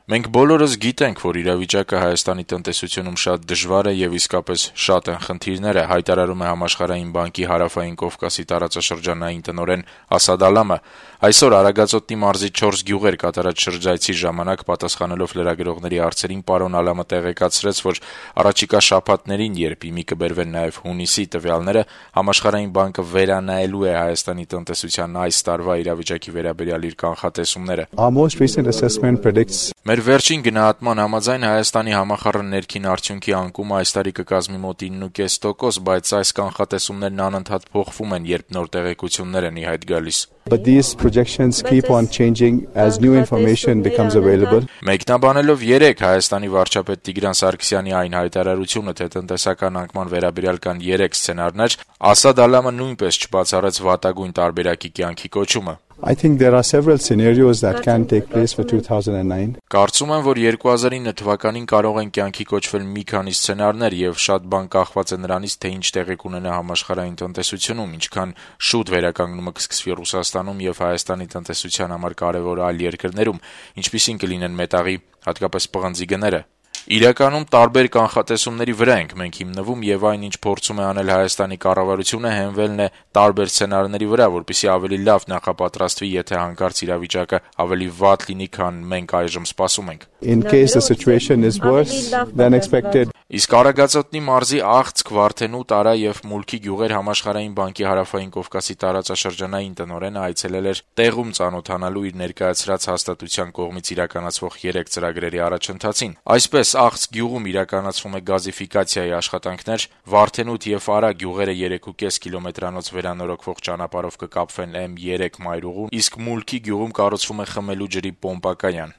Մենք բոլորս գիտենք, որ իրավիճակը Հայաստանի տնտեսությունում շատ դժվար է եւ իսկապես շատ են խնդիրները, հայտարարում է Համաշխարհային բանկի Հարավային Կովկասի տարածաշրջանային տնօրեն Ասադ Ալամը։ Այսօր Արագածոտնի մարզի 4 գյուղեր կատարած շրջայցի ժամանակ պատասխանելով լրագրողների հարցերին պարոն Ալամը տեղեկացրեց, որ առաջիկա շաբաթներին, երբ իմի կբերվեն նաեւ հունիսի տվյալները, Համաշխարհային բանկը վերանայելու է Հայաստանի տնտեսության այս տարվա իրավիճակի վերաբերյալ իր կանխատեսումները։ Our most recent assessment predicts Մեր վերջին գնահատման համաձայն Հայաստանի համախառն ներքին արդյունքի անկումը այս տարի կկազմի մոտ 9.5%, բայց այս կանխատեսումներն անընդհատ փոխվում են, երբ նոր տեղեկություններ են ի հայտ գալիս։ But these projections keep on changing as new information becomes available. Մեկնաբանելով 3 Հայաստանի վարչապետ Տիգրան Սարգսյանի այն հայտարարությունը, թե տնտեսական անկման վերաբերյալ կան 3 սցենարներ, Ասադ Ալամը նույնպես չբացառեց վատագույն տարբերակի կյանքի կոչումը։ I think there are several scenarios that can take place for 2009. Կարծում եմ, որ 2009 թվականին կարող են կյանքի կոչվել մի քանի սցենարներ եւ շատ բան կախված է նրանից, թե ինչ տեղի կունենա համաշխարհային տնտեսությունում, ինչքան շուտ վերականգնումը կսկսվի Ռուսաստանում եւ Հայաստանի տնտեսության համար կարեւոր այլ երկրներում, ինչպիսին կլինեն մետաղի, հատկապես պղնձի գները։ Իրականում տարբեր կանխատեսումների վրա ենք մենք հիմնվում եւ այն, ինչ փորձում է անել Հայաստանի կառավարությունը, հենվելն է տարբեր սցենարների վրա, որպեսզի ավելի լավ նախապատրաստվի, եթե հանկարծ իրավիճակը ավելի վատ լինի, քան մենք այժմ սպասում ենք։ In case the situation is worse than expected. Իսկ Արագածոտնի մարզի Աղցք, Վարդենու, Տարա եւ Մուլքի գյուղեր Համաշխարհային բանկի Հարավային Կովկասի տարածաշրջանային տնօրենը այցելել էր տեղում ծանոթանալու իր ներկայացրած հաստատության կողմից իրականացվող 3 ծրագրերի առաջընթացին։ Այսպես Աղցք գյուղում իրականացվում է գազիֆիկացիայի աշխատանքներ, Վարդենուտ եւ Արա գյուղերը 3.5 կիլոմետրանոց վերանորոգվող ճանապարհով կկապվեն M3 մայրուղուն, իսկ Մուլքի գյուղում կառուցվում է խմելու ջրի պոմպակայան։